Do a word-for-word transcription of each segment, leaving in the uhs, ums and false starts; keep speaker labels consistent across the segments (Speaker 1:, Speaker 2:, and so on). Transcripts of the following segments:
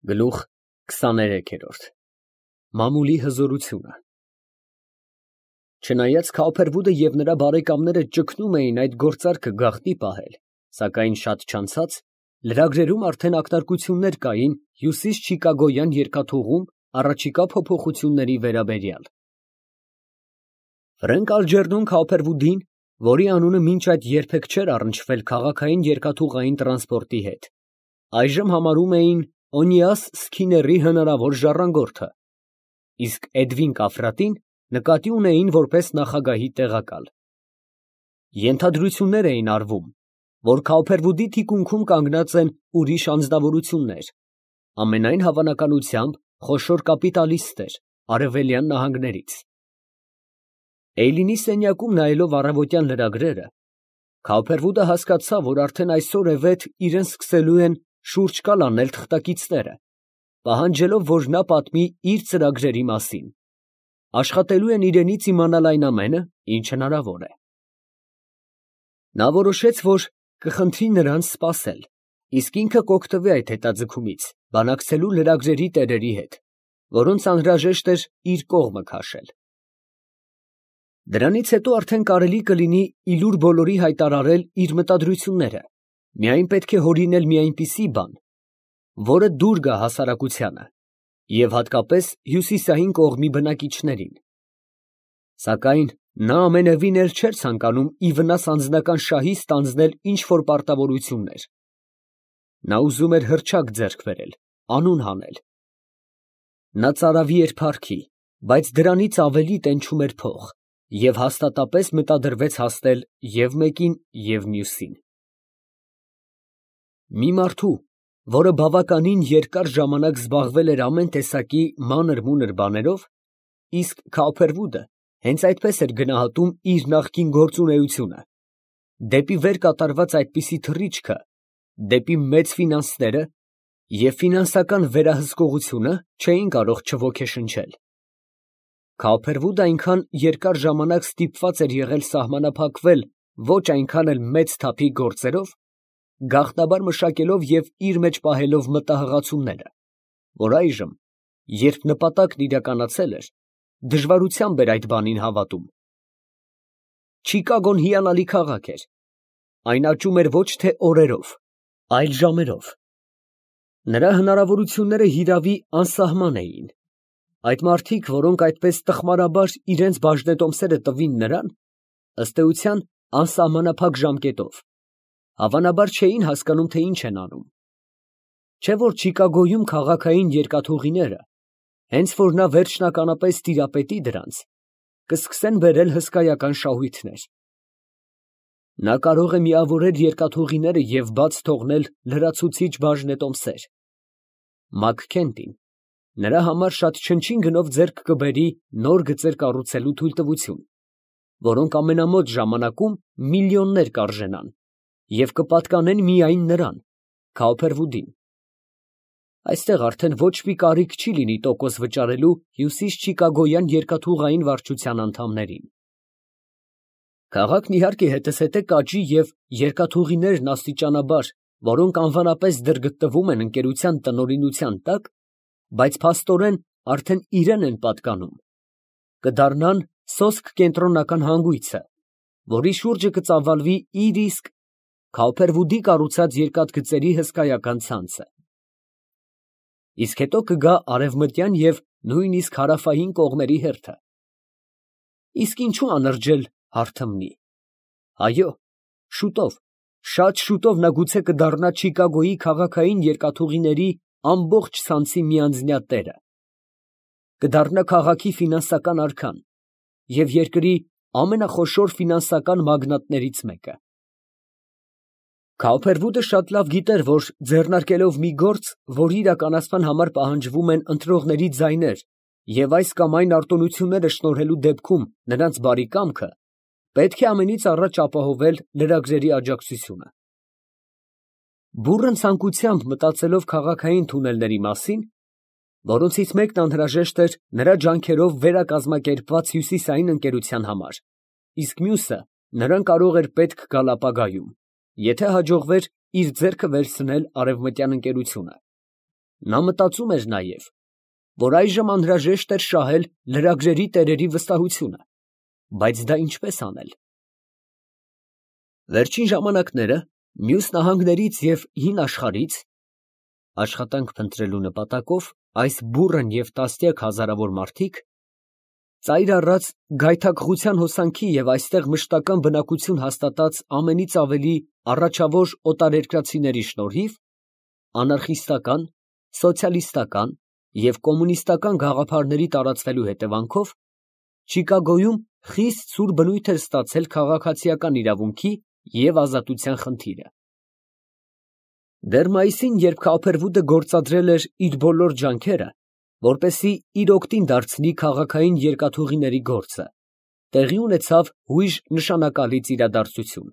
Speaker 1: Գլուխ քսաներեքերորդ Մամուլի հզորությունը Չնայած Քավփերվուդը և նրա բարեկամները ճգնում էին այդ գործարքը գաղտնի պահել, սակայն շատ չանցած, լրագրերում արդեն ակնարկություններ կային հյուսիսչիկագոյան երկաթուղում առաջիկա փոփոխությունների վերաբերյալ։ Ֆրենկ Ալջերնոն Քավփերվուդին, որի անունը մինչ այդ երբեք չէր առնչվել քաղաքային երկաթուղային տրանսպորտի հետ, այժմ համարում էին Օնիաս Սքիների հնարավոր ժառանգորդը, իսկ Էդվին Կաֆրատին նկատի ունեին որպես նախագահի տեղակալ։ Ենթադրություններ էին արվում, որ Քավփերվուդի թիկունքում կանգնած են ուրիշ անձնավորություններ, ամենայն հավանականությամբ խոշոր կապիտալիստներ արևելյան նահանգներից։ Էյլինի սենյակում նայելով առավոտյան լրագրերը, Քավփերվուդը հասկացավ, որ արդեն այսօր է վետ իրան սկսելու են շուրջ կալ անել թղթակիցները, պահանջելով, որ նա պատմի իր ծրագրերի մասին, աշխատելու են իրենից իմանալ այն ամենը, ինչ հնարավոր է։ Նա որոշեց, որ կխնդրի նրանց սպասել, իսկ ինքը կօգտվի այդ հետաձգումից, բանակցելու լրագրերի տերերի հետ, որոնց անհրաժեշտ էր իր կողմը քաշել։ Դրանից հետո արդեն կարելի կլինի ի լուր բոլորի հայտարարել իր մտադրությունները, միայն պետք է հորինել մի այնպիսի բան, որը դուր գա հասարակությանը և հատկապես հյուսիսային կողմի բնակիչներին։ Սակայն նա ամենևին էլ չէր ցանկանում ի վնաս անձնական շահի ստանձնել ինչ֊որ պարտավորություններ։ Նա ուզում էր հռչակ ձեռք բերել, անուն հանել։ Նա ծարավի էր փառքի, բայց դրանից ավելի տենչում էր փող և հաստատապես մտադրվեց հասնել և մեկին, և մյուսին։ Մի մարդու, որը բավականին երկար ժամանակ զբաղվել էր ամեն տեսակի մանր֊մունր բաներով, իսկ Քավփերվուդը հենց այդպես էր գնահատում իր նախկին գործունեությունը, դեպի վեր կատարված այդպիսի թռիչքը, դեպի մեծ ֆինանսները և ֆինանսական վերահսկողությունը չէին կարող չոգեշնչել։ Քավփերվուդը այնքան երկար ժամանակ ստիպված էր եղել սահմանափակվել ոչ այնքան էլ մեծ թափի գործերով, գաղտնաբար մշակելով և իր մեջ պահելով մտահղացումները, որ այժմ, երբ նպատակն իրականացել էր, դժվարությամբ էր այդ բանին հավատում։ Չիկագոն հիանալի քաղաք էր, այն աճում էր ոչ թե օրերով, այլ ժամերով։ Նրա հնարավորությունները հիրավի անսահման էին։ Այդ մարդիկ, որոնք այդպես տխմարաբար իրենց բաժնետոմսերը տվին նրան, ըստ էության անսահմանափակ ժամկետով, հավանաբար չէին հասկանում, թե ինչ են անում։ Չէ՞ որ Չիկագոյում քաղաքային երկաթուղիները, հենց որ նա վերջնականապես տիրապետի դրանց, կսկսեն բերել հսկայական շահույթներ։ Նա կարող է միավորել երկաթուղիները և բաց թողնել լրացուցիչ բաժնետոմսեր։ Մաքքենթին նրա համար շատ չնչին գնով ձեռք կբերի նոր գծեր կառուցելու թույլտվություն, որոնք ամենամոտ ժամանակում միլիոններ կարժենան և կպատկանեն միայն նրան, Քավփերվուդին։ Այստեղ արդեն ոչ մի կարիք չի լինի տոկոս վճարելու հյուսիսչիկագոյան երկաթուղային վարչության անդամներին։ Քաղաքն իհարկե հետզհետե կաճի և երկաթուղիներն աստիճանաբար, որոնք անվանապես դեռ գտնվում են ընկերության տնօրինության տակ, բայց փաստորեն արդեն իրան են պատկանում, կդառնան սոսկ կենտրոնական հանգույցը, որի շուրջը կծավալվի իր իսկ Քավփերվուդի կառուցած երկաթգծերի հսկայական ցանցը։ Իսկ հետո կգա արևմտյան և նույնիսկ հարավային կողմերի հերթը։ Իսկ ինչու անրջել հարթմնի։ Այո, շուտով, շատ շուտով նա գուցե կդառնա Չիկագոյի քաղաքային երկաթուղիների ամբողջ ցանցի միանձնյա տերը, կդառնա քաղաքի ֆինանսական արքան և երկրի ամենախոշոր ֆինանսական մագնատներից մեկը։ Քավփերվուդը շատ լավ գիտեր, որ ձեռնարկելով մի գործ, որի իրականացման համար պահանջվում են ընտրողների ձայներ և այս կամ այն արտոնությունները շնորհելու դեպքում նրանց բարի կամքը, պետք է ամենից առաջ ապահովել լրագրերի աջակցությունը։ Բուռն ցանկությամբ մտածելով քաղաքային թունելների մասին, որոնցից մեկն անհրաժեշտ էր նրա ջանքերով վերակազմակերպված հյուսիսային ընկերության համար, իսկ մյուսը նրան կարող էր պետք գալ ապագայում, եթե հաջողվեր իր ձեռքը վերցնել արևմտյան ընկերությունը, Նա մտածում էր նաև, որ այժմ անհրաժեշտ էր շահել լրագրերի տերերի վստահությունը, բայց դա ինչպես անել։ Վերջին ժամանակները մյուս նահանգներից և հին աշխարհից աշխատանք փնտրելու նպատակով այս բուռն և տասնյակ հազարավոր մարդիկ, ծայր առած գայթակղության հոսանքի և այստեղ մշտական բնակություն հաստատած ամենից ավելի առաջավոր օտարերկրացիների շնորհիվ, անարխիստական, սոցիալիստական և կոմունիստական գաղափարների տարածվելու հետևանքով, Չիկագոյում խիստ ցուր բնույթ էր ստացել քաղաքացիական իրավունքի և ազատության խնդիրը։ Դեռ մայիսին, երբ Քափերվուդը գործադրել էր իր բոլոր ջանքերը, որպեսզի իր օգտին դարձնի քաղաքային երկաթուղիների գործը, տեղի ունեցավ հույժ նշանակալից իրադարձություն։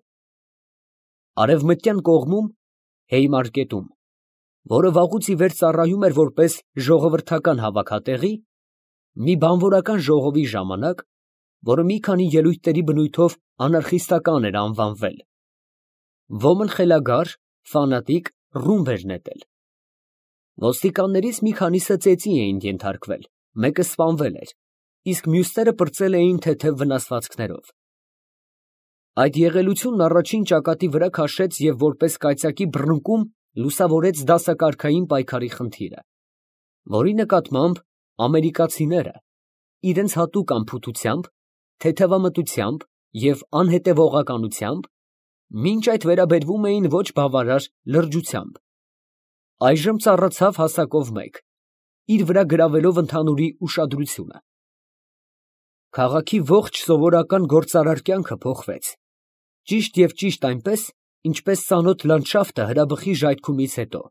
Speaker 1: Արևմտյան կողմում, Հեյմարկետում, որը վաղուց ի վեր ծառայում էր որպես ժողովրդական հավաքատեղի, մի բանվորական ժողովի ժամանակ, որը մի քանի ելույթների բնույթով անարխիստական էր անվանվել, ոմն խելագար, ֆանատիկ ռումբ էր նետել։ Ոստիկաններից մի քանիսը ծեծի էին ենթարկվել, մեկը սպանվել էր, իսկ մյուսները պրծել էին թեթև վնասվածքներով։ Այդ եղելությունն առաջին ճակատի վրա քաշեց և որպես կայծակի բռնկում լուսավորեց դասակարգային պայքարի խնդիրը, որի նկատմամբ ամերիկացիները իրենց հատուկ անփութությամբ, թեթևամտությամբ և անհետևողականությամբ մինչ այդ վերաբերվում էին ոչ բավարար լրջությամբ, այժմ ծառացավ հասակով մեկ, իր վրա գրավելով ընդհանուրի ուշադրությունը։ Քաղաքի ողջ սովորական գործարար կյանքը փոխվեց, ճիշտ և ճիշտ այնպես, ինչպես ծանոթ լանդշաֆտը հրաբխի ժայթքումից հետո։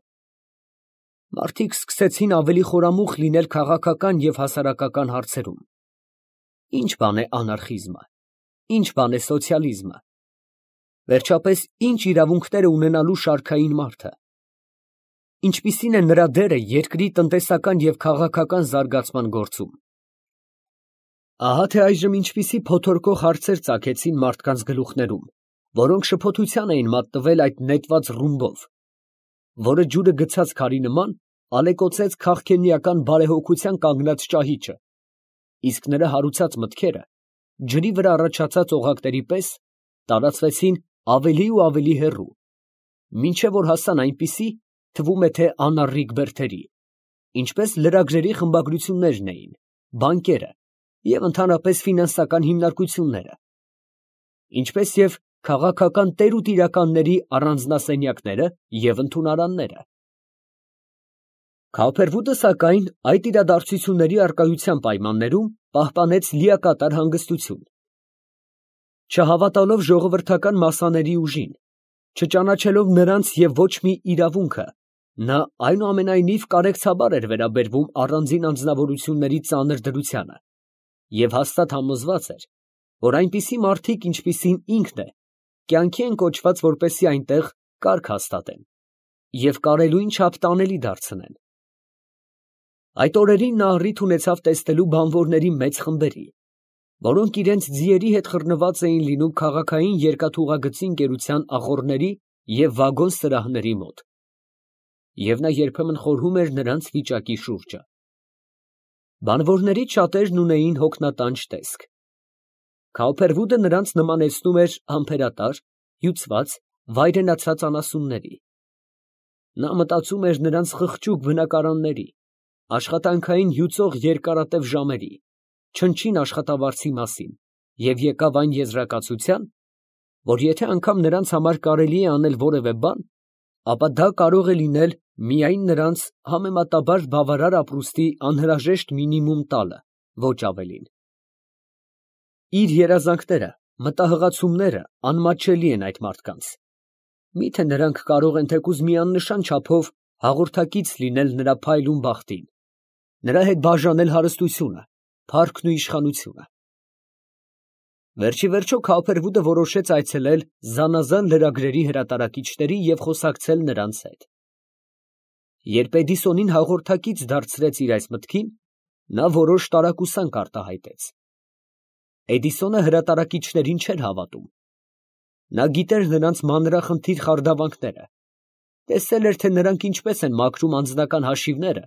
Speaker 1: Մարդիկ սկսեցին ավելի խորամուխ լինել քաղաքական և հասարակական հարցերում։ Ի՞նչ բան է անարխիզմը, ի՞նչ բան է սոցիալիզմը, վերջապես ի՞նչ իրավունքներ է ունենալու շարքային մարդը, ինչպիսին է նրա դերը երկրի տնտեսական և քաղաքական զարգացման գործում։ Ահա թե այժմ ինչպիսի փոթորկող հարցեր ծագեցին մարդկանց գլուխներում, որոնք շփոթության էին մատնվել այդ նետված ռումբով, որը ջուրը գցած քարի նման ալեկոծեց քաղքենիական բարեհոգության կանգնած ճահիճը, իսկ նրա հարուցած մտքերը, ջրի վրա առաջացած օղակների պես, տարածվեցին ավելի ու ավելի հեռու, մինչև որ հասան այնպիսի, թվում է թե անառիկ բերդերի, ինչպես լրագրերի խմբագրություններն էին, բանկերը և ընդհանրապես ֆինանսական հիմնարկությունները, ինչպես և քաղաքական տեր ու տիրականների առանձնասենյակները և ընդունարանները։ Քափերվուդը, սակայն, այդ իրադարձությունների առկայության պայմաններում պահպանեց լիակատար հանգստություն։ Չհավատալով ժողովրդական մասսաների ուժին, չճանաչելով նրանց և ոչ մի իրավունքը, նա այնուամենայնիվ կարեկցաբար էր վերաբերվում առանձին անձնավորությունների ծանր դրությանը և հաստատ համոզված էր, որ այնպիսի մարդիկ, ինչպիսին ինքն է, կյանքի են կոչված, որպեսզի այնտեղ կարգ հաստատեն և կարելույն չափ տանելի դարձնեն։ Այդ օրերին նա առիթ ունեցավ տեսնելու բանվորների մեծ խմբերի, որոնք իրենց ձիերի հետ խռնված էին լինում քաղաքային երկաթուղագծի ընկերության ախոռների և վագոն սրահների մոտ, և նա երբեմն խորհում էր նրանց վիճակի շուրջը։ Բանվորներից շատերն ունեին հոգնատանջ տեսք։ Քափերվուդը նրանց նմանեցնում էր համբերատար, հյուծված, վայրենացած անասունների։ Նա մտածում էր նրանց խղճուկ բնակարանների, աշխատանքային հյուծող երկարատև ժամերի, չնչին աշխատավարձի մասին և եկավ այն եզրակացության, որ եթե անգամ նրանց համար կարելի է անել որևէ բան, ապա դա կարող է լինել միայն նրանց համեմատաբար բավարար ապրուստի անհրաժեշտ մինիմում տալը, ոչ ավելին։ Իր երազանքները, մտահղացումները անմատչելի են այդ մարդկանց։ Մի՞թե նրանք կարող են թեկուզ մի աննշան չափով հաղորդակից լինել նրա փայլուն բախտին, նրա հետ բաժանել հարստությունը, փառքն ու իշխանությունը։ Վերջիվերջո Քափերվուդը որոշեց այցելել զանազան լրագրերի հրատարակիչների և խոսակցել նրանց հետ։ Երբ Էդիսոնին հաղորդակից դարձրեց իր այս մտքին, նա որոշ տարակուսանք արտահայտեց։ Էդիսոնը հրատարակիչներին չէր հավատում։ Նա գիտեր նրանց մանրախնդիր խարդավանքները, տեսել էր, թե նրանք ինչպես են մաքրում անձնական հաշիվները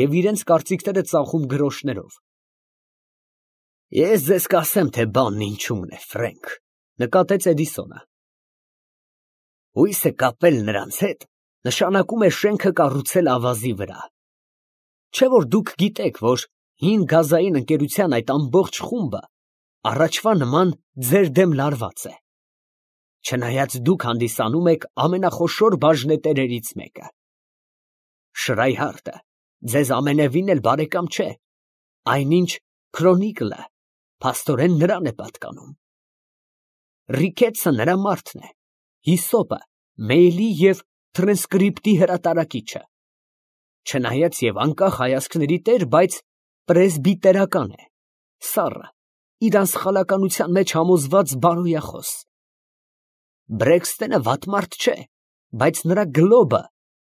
Speaker 1: և իրենց կարծիքները ծախում գրոշներով։ Ես ձեզ կասեմ, թե բանն ինչումն է, Ֆրենք, նկատեց Էդիսոնը։ Հույսը կապել նրանց հետ նշանակում է շենքը կառուցել ավազի վրա։ Չէ՞ որ դուք գիտեք, որ հին գազային ընկերության այդ ամբողջ խումբը առաջվա նման ձեր դեմ լարված է, չնայած դուք հանդիսանում եք ամենախոշոր բաժնետերերից մեկը։ Շրայհարտը ձեզ ամենևին էլ բարեկամ չէ, այնինչ Քրոնիկլը փաստորեն նրան է պատկանում։ Ռիկետսը նրա մարդն է, Հիսոպը մեյլի և տրանսկրիպտի հրատարակիչը, չնայած և անկախ հայացքների տեր, բայց պրեսբիտերական է, սառը, իր անսխալականության մեջ համոզված բարոյախոս։ Բրեքսթենը վատ մարդ չէ, բայց նրա գլոբը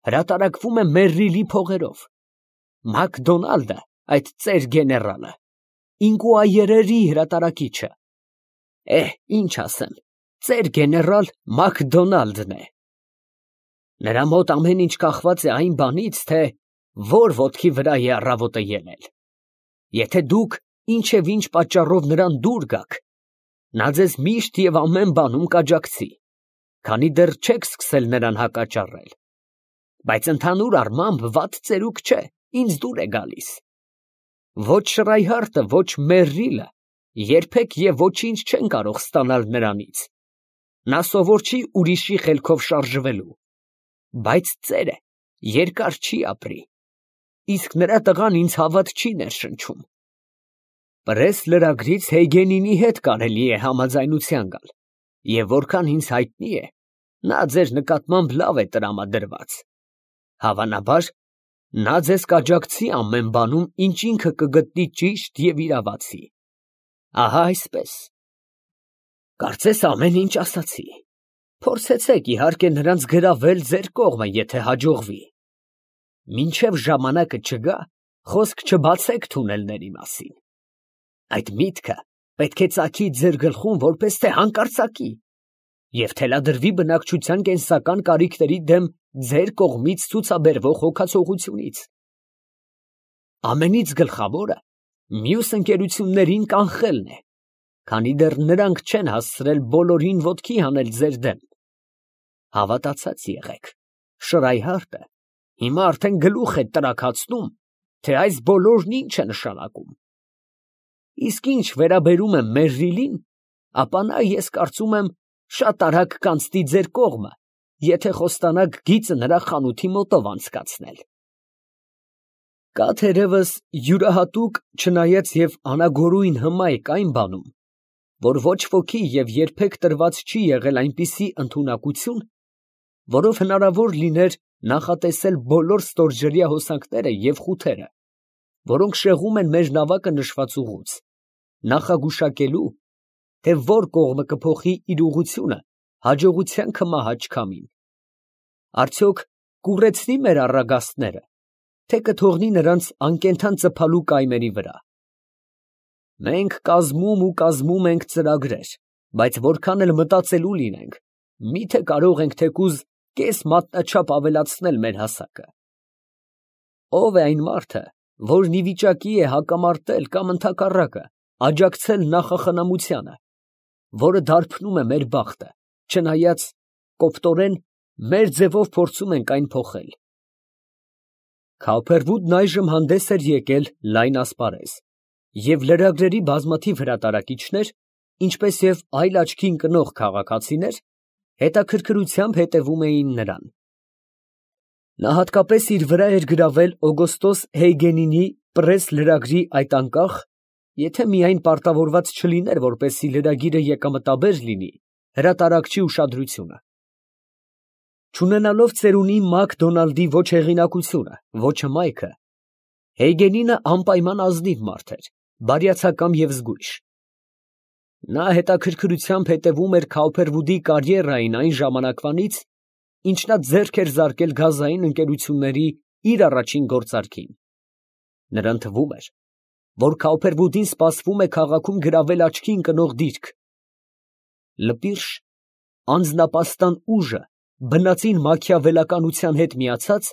Speaker 1: հրատարակվում է Մերրիլի փողերով։ Մակդոնալդը, այդ ծեր գեներալը, ինկուայերերի հրատարակիչը, էհ, ինչ ասեմ, ծեր գեներալ Մակդոնալդն է։ Նրա մոտ ամեն ինչ կախված է այն բանից, թե որ ոտքի վրա է առավոտը ելել։ Եթե դուք ինչ և ինչ պատճառով նրան դուր գաք, նա ձեզ միշտ և ամեն բանում կաջակցի, քանի դեռ չեք սկսել նրան հակաճառել, բայց ընդհանուր առմամբ վատ ծերուկ չէ, ինձ դուր է գալիս։ Ոչ Շրայհարտը, ոչ Մերրիլը երբեք և ոչինչ չեն կարող ստանալ նրանից։ Նա սովոր չի ուրիշի խելքով շարժվելու, բայց ծերը երկար չի ապրի, իսկ նրա տղան ինձ հավատ չի ներշնչում։ Պրես լրագրից Հեյգենինի հետ կարելի է համաձայնության գալ, և որքան ինձ հայտնի է, նա ձեր նկատմամբ լավ է տրամադրված։ Հավանաբար, նա ձեզ կաջակցի ամեն բանում, ինչ ինքը կգտնի ճիշտ և իրավացի։ Ահա այսպես։ Կարծես ամեն ինչ ասացի։ Փորձեցեք, իհարկե, նրանց գրավել ձեր կողմը, եթե հաջողվի։ Մինչև ժամանակը չգա, խոսք չբացեք թունելների մասին։ Այդ միտքը պետք է ծագի ձեր գլխում որպես թե հանկարծակի և թելադրվի բնակչության կենսական կարիքների դեմ ձեր կողմից ցուցաբերվող հոգացողությունից։ Ամենից գլխավորը մյուս ընկերություններին կանխելն է, քանի դեռ նրանք չեն հասցրել բոլորին ոտքի հանել ձեր դեմ։ Հավատացած եղեք, Շրայհարտը հիմա արդեն գլուխ է տրաքացնում, թե այս բոլորն ինչ է նշանակում։ Իսկ ինչ վերաբերում է Մերրիլին, ապա նա, ես կարծում եմ, շատ արագ կանցնի ձեր կողմը, եթե խոստանաք գիծը նրա խանութի մոտով անցկացնել։ Կա թերևս յուրահատուկ, չնայած և անագորույն հմայք այն բանում, որ ոչ ոքի և երբեք տրված չի եղել այնպիսի ընդունակություն, որով հնարավոր լիներ նախատեսել բոլոր ստորջրյա հոսանքները և խութերը, որոնք շեղում են մեր նավակը նշված ուղուց, նախագուշակելու, թե որ կողմը կփոխի իր ուղղությունը հաջողության քմահաճ քամին։ Արդյոք կուռեցնի՞ մեր առագաստները, թե կթողնի նրանց անկենդան ծփալու կայմերի վրա։ Մենք կազմում ու կազմում ենք ծրագրեր, բայց որքան էլ մտածելու լինենք, մի՞թե կարող ենք թեկուզ կես մատնաչափ ավելացնել մեր հասակը։ Ո՞վ է այն մարդը, որն ի վիճակի է հակամարտել կամ ընդհակառակը աջակցել նախախնամությանը, որը դարբնում է մեր բախտը, չնայած կոպտորեն մեր ձևով փորձում ենք այն փոխել։ Քավփերվուդն այժմ հանդես էր եկել լայն ասպարեզ, և լրագրերի բազմաթիվ հրատարակիչներ, ինչպես և այլ աչքի ընկնող քաղաքացիներ, հետաքրքրությամբ հետևում էին նրան։ Նա հատկապես իր վրա էր գրավել Օգոստոս Հեյգենինի պրես լրագրի այդ անկախ, եթե միայն պարտավորված չլիներ, որպեսզի լրագիրը եկամտաբեր լինի, հրատարակչի ուշադրությունը։ Չունենալով ծերունի Մակդոնալդի ոչ հեղինակությունը, ոչ հմայքը, Հեյգենինը անպայման ազնիվ մարդ էր, բարյացակամ և զգույշ։ Նա հետաքրքրությամբ հետևում էր Քավփերվուդի կարիերային այն ժամանակվանից, ինչ նա ձեռք էր զարկել գազային ընկերությունների իր առաջին գործարքին։ Նրան թվում էր, որ Քավփերվուդին սպասվում է քաղաքում գրավել աչքի ընկնող դիրք։ Լպիրշ, անձնապաստան ուժը բնածին մաքիավելականության հետ միացած,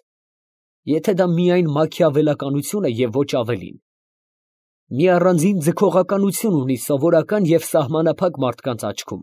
Speaker 1: եթե դա միայն մաքիավելականություն է և ոչ ավելին, մի առանձին ձգողականություն ունի սովորական և սահմանափակ մարդկանց աչքում։